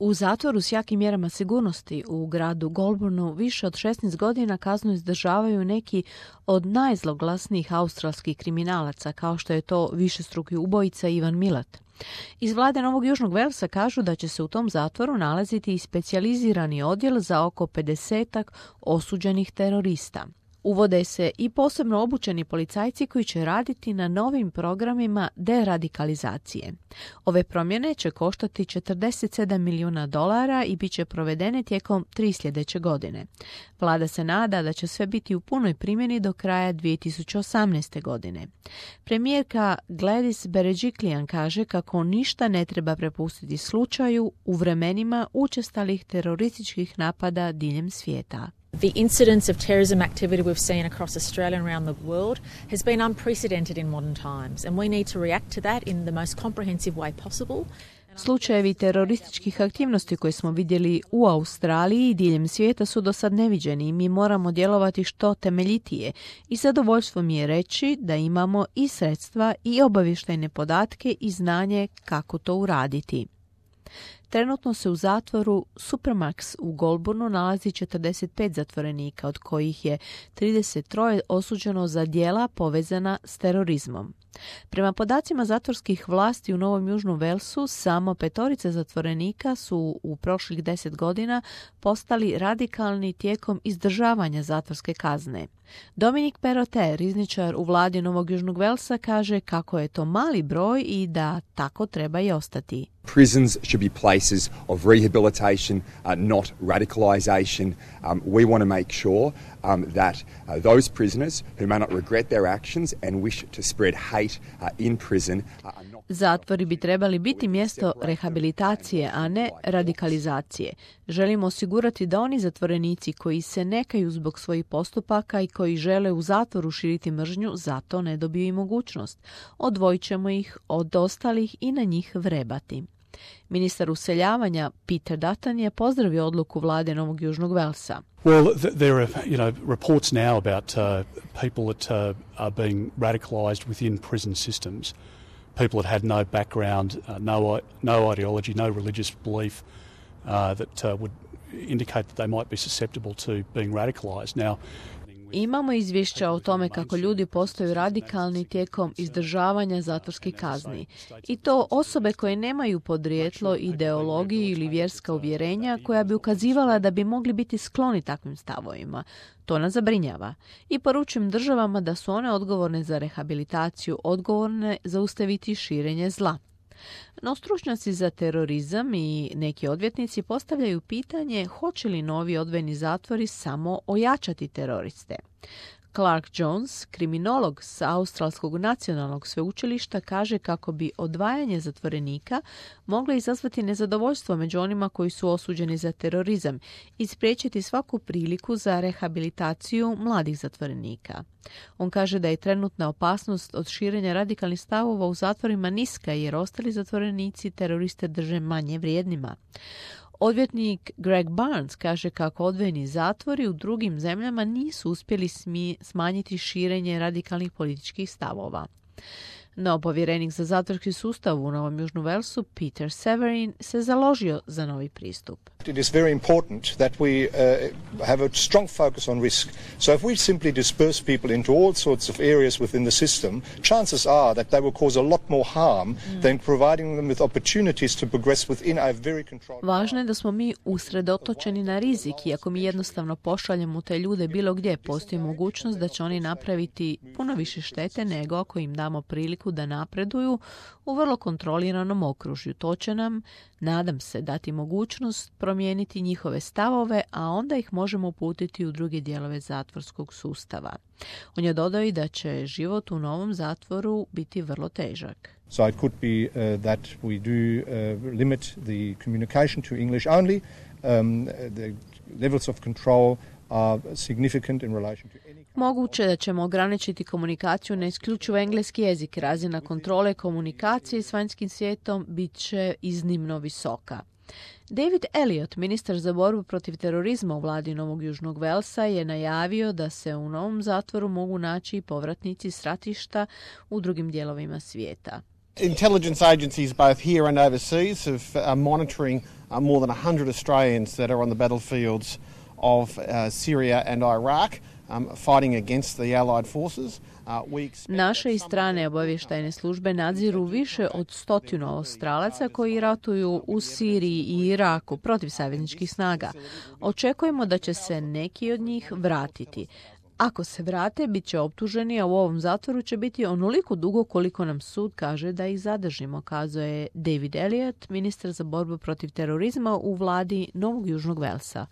U zatvoru s jakim mjerama sigurnosti u gradu Goulburnu više od 16 godina kaznu izdržavaju neki od najzloglasnijih australskih kriminalaca, kao što je to višestruki ubojica Ivan Milat. Iz vlade Novog Južnog Velsa kažu da će se u tom zatvoru nalaziti i specijalizirani odjel za oko 50 osuđenih terorista. Uvode se i posebno obučeni policajci koji će raditi na novim programima deradikalizacije. Ove promjene će koštati $47 milijuna i bit će provedene tijekom 3 sljedeće godine. Vlada se nada da će sve biti u punoj primjeni do kraja 2018. godine. Premijerka Gladys Berejiklian kaže kako ništa ne treba prepustiti slučaju u vremenima učestalih terorističkih napada diljem svijeta. The incidence of terrorism activity we've seen across Australia and around the world has been unprecedented in modern times, and we need to react to that in the most comprehensive way possible. Slučajevi terorističkih aktivnosti koje smo vidjeli u Australiji i diljem svijeta su do sad neviđeni i mi moramo djelovati što temeljitije i zadovoljstvo mi je reći da imamo i sredstva i obavještajne podatke i znanje kako to uraditi. Trenutno se u zatvoru Supermax u Goulburnu nalazi 45 zatvorenika, od kojih je 33 osuđeno za djela povezana s terorizmom. Prema podacima zatvorskih vlasti u Novom Južnom Velsu, samo 5 zatvorenika su u prošlih 10 godina postali radikalni tijekom izdržavanja zatvorske kazne. Dominic Perrottet, rizničar u vladi Novog Južnog Velsa, kaže kako je to mali broj i da tako treba i ostati. Prisons should be places of rehabilitation, not radicalisation. We want to make sure that those prisoners who may not regret their actions and wish to spread hate in prison are not... Zatvori bi trebali biti mjesto rehabilitacije, a ne radikalizacije. Želimo osigurati da oni zatvorenici koji se nekaju zbog svojih postupaka i koji žele u zatvoru širiti mržnju, zato ne dobiju i mogućnost. Odvojit ćemo ih od ostalih i na njih vrebati. Ministar useljavanja Peter Dutton je pozdravio odluku vlade Novog Južnog Velsa. Well, there are, reports now about people that are being radicalised within prison systems. People that had no background, no ideology, no religious belief that would indicate that they might be susceptible to being radicalised. Now, imamo izvješća o tome kako ljudi postaju radikalni tijekom izdržavanja zatvorskih kazni. I to osobe koje nemaju podrijetlo, ideologiju ili vjerska uvjerenja koja bi ukazivala da bi mogli biti skloni takvim stavovima. To nas zabrinjava. I poručujem državama da su one odgovorne za rehabilitaciju, odgovorne zaustaviti širenje zla. No stručnjaci za terorizam i neki odvjetnici postavljaju pitanje hoće li novi odvojeni zatvori samo ojačati teroriste. Clark Jones, kriminolog s Australskog nacionalnog sveučilišta, kaže kako bi odvajanje zatvorenika moglo izazvati nezadovoljstvo među onima koji su osuđeni za terorizam i spriječiti svaku priliku za rehabilitaciju mladih zatvorenika. On kaže da je trenutna opasnost od širenja radikalnih stavova u zatvorima niska jer ostali zatvorenici teroriste drže manje vrijednima. Odvjetnik Greg Barnes kaže kako odvojeni zatvori u drugim zemljama nisu uspjeli smanjiti širenje radikalnih političkih stavova. No, povjerenik za zatvorski sustav u Novom Južnom Velsu, Peter Severin, se založio za novi pristup. It is very important that we have a strong focus on risk. So if we simply disperse people into all sorts of areas within the system, chances are that they will cause a lot more harm than providing them with opportunities to progress within a very controlled... Važno je da smo mi usredotočeni na rizik i ako mi jednostavno pošaljemo te ljude bilo gdje, postoji mogućnost da će oni napraviti puno više štete nego ako im damo priliku da napreduju u vrlo kontroliranom okružju. To će nam, nadam se, dati mogućnost promijeniti njihove stavove, a onda ih možemo uputiti u druge dijelove zatvorskog sustava. On je dodao i da će život u novom zatvoru biti vrlo težak. So it could be that we do limit the communication to English only. The levels of control are significant in relation to any... Moguće da ćemo ograničiti komunikaciju na isključivo engleski jezik. Razina kontrole komunikacije s vanjskim svijetom bit će iznimno visoka. David Elliott, ministar za borbu protiv terorizma u vladi Novog Južnog Velsa, je najavio da se u novom zatvoru mogu naći i povratnici s ratišta u drugim dijelovima svijeta. Intelligence agencies both here and overseas are monitoring more than 100 Australians that are on the battlefields of Syria and Iraq fighting against the Allied forces. Naše i strane obavještajne službe nadziru više od 100 Australaca koji ratuju u Siriji i Iraku protiv savezničkih snaga. Očekujemo da će se neki od njih vratiti. Ako se vrate, bit će optuženi, a u ovom zatvoru će biti onoliko dugo koliko nam sud kaže da ih zadržimo, kazao je David Elliott, ministar za borbu protiv terorizma u vladi Novog Južnog Velsa.